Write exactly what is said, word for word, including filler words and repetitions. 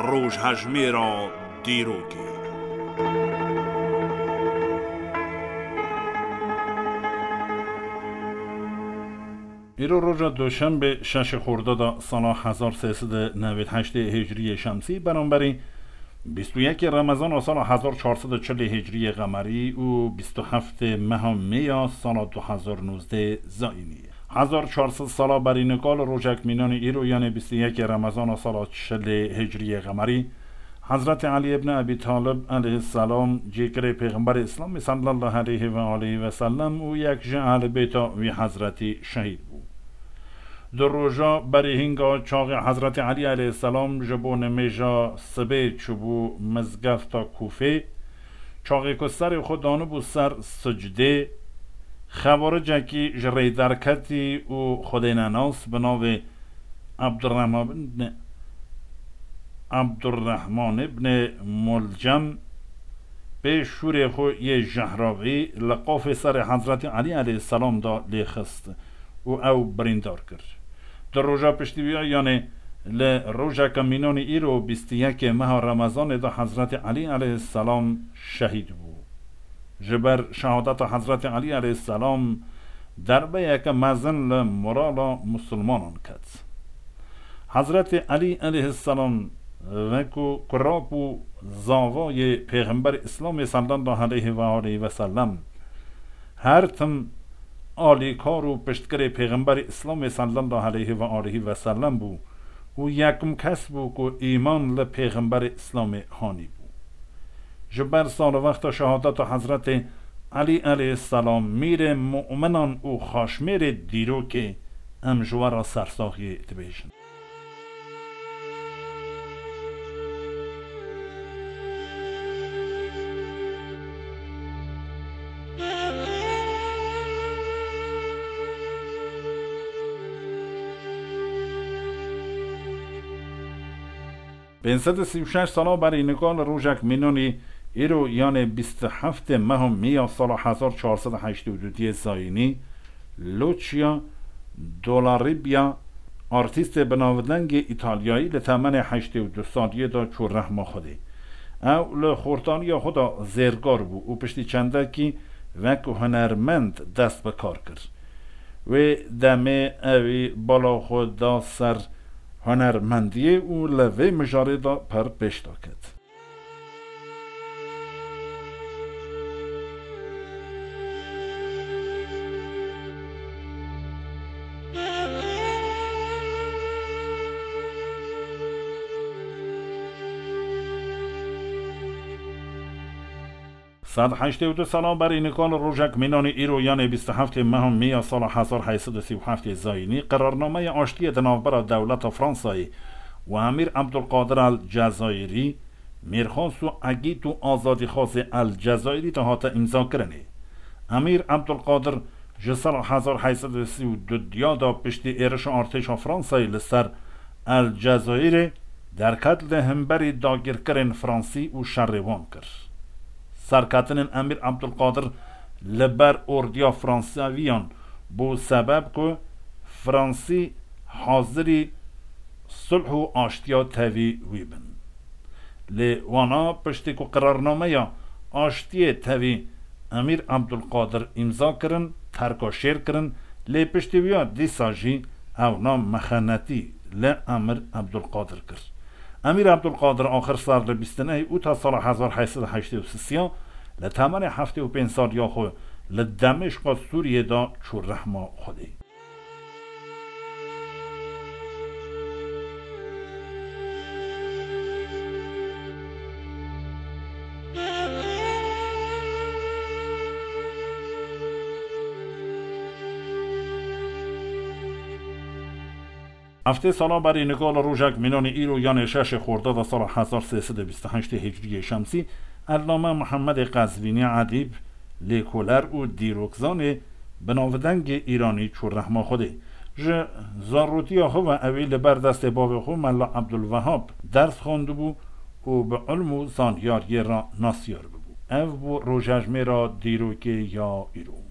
Rojhejmêra dîrokê. Îro roja Duşenbê, şeşê Xordada sala hezar sê sed û newêd heştê Hicriyê Şemsî, beramberî bîst û yekê Remezana sala hezar çar sed û çilê Hicriyê Qemerî û bîst û heftê meha Mêya sala du hezar nozdeh Zayînî. Hezar çar sed sala berî nika li rojek mînanî îro, yanê bîst û yekê Remezana sala çilê Hicriyê Qemerî, Hezretî Elî ibn Ebî Talib eleyhisselam, cîgirê Pêxemberê Îslamê sallallahu aleyhi ve aleyhi ve sellem û yek ji ehlibêta wî Hezretî şehîd bû. Di roja berî hînga çaxê Hezretî Elî eleyhisselam ji bo nimêja sibê çûbû mizgefta Kûfê, çaxê ku serê xwe danibû ser sicdê, xewaricekî ji rê derketî û xwedênenas bi navê Abdurrahman ibn, Abdurrahman ibn Mulcem pê şûrê xwe yê jehravî li qafê serê Hezretî Elî eleyhisselam de lê xist û ew birîndar kir. Di roja piştî wî, yanê li rojeke mînanî îro, bîst û yekê meha Remezanê de Hezretî Elî eleyhisselam şehîd bû. Ji ber şehadeta Hezretî Elî eleyhisselam derbeyeke mezin li morala misilmanan ket. Hezretî Elî eleyhisselam wekû kurap û zavayê Pêxemberê Îslamê sallallahu aleyhi ve aleyhi ve sellem her tim alîkar û piştgirê Pêxemberê Îslamê sallallahu aleyhi ve aleyhi ve sellem bû û yekim kes bû ku îman li Pêxemberê Îslamê hanî bû. Ji ber salvexta şehadeta Hezretê Elî eleyhisselam, mîrê mu'minan û xaşmêrê dîrokê, em ji we re sersaxiyê dibêjin. Pênc sed û sî û şeş sala berî nika li rojek mînanî îro, yanê bîst û heftê meha Mêya sala hezar çar sed û heştê û du diyê Zayînî, Lucia Dollaribia, artîstê binavdengê Îtalyayî, li temenê heştê û du saliyê de çû rehma Xwedê. Ew li xortaniya xwe de zêrgar bû û piştî çendekî wek hunermend dest bi kar kir. Wê demê ewî bala xwe da ser hunermendiyê û li vê mijarê de pir pêş de ket. Sed heştê û du sala berî nika li rojek mînanî îro, yanê bîst û heftê meha Mêya sala hezar heyt sed û sî û heftê Zayînî, qerarnameya aştiyê di navbera dewleta Fransayê û Emîr Ebdulqadir El Cezayirî, mêrxas û egît û azadîxwazê El Cezayirî de hate îmzakirinê. Emîr Ebdulqadir ji sala hezar heyt sed û sî û du diya de piştî êrişa artêşa Fransayê li ser El Cezayirê derket, li hemberî dagirkirên Fransî û şerê wan kir. Serketinên Emîr Ebdulqadir li ber ordiya Fransaviyan bû sebeb ku Fransî hazirî sulh û aştiya tevî wî bin. Lê wana piştî ku qirarnameya aştiyê tevî Emîr Ebdulqadir îmza kirin, terka şêr kirin, lê piştî wiya dîsa jî ewna mexenetî li Emîr Ebdulqadir kir. Emîr Ebdulqadir axir ser li bîst û nehê Ûta sala hezar heyt sed û heştê û sisiya li temenê heftê û pênc saliya xwe li Demêşqa Sûriyê de çû rehma Xwedê. Heftê sala berî nika li rojek mînanî îro, yanê şeşê Xordada sala hezar sê sed û bîst û heştê Hicriyê Şemsî, Ellame Muhemmedê Qezvînî edîb, lêkoler û dîrokzanê binavdengê Îranî çû rehma Xwedê. Ji zarotiya xwe ve ewî li ber destê bavê xwe Mela Ebdulwehab ders xwendibû û bi ilm û zanyariyê re nasyar bibû. Ev bû rojejmêra dîrokê ya îro.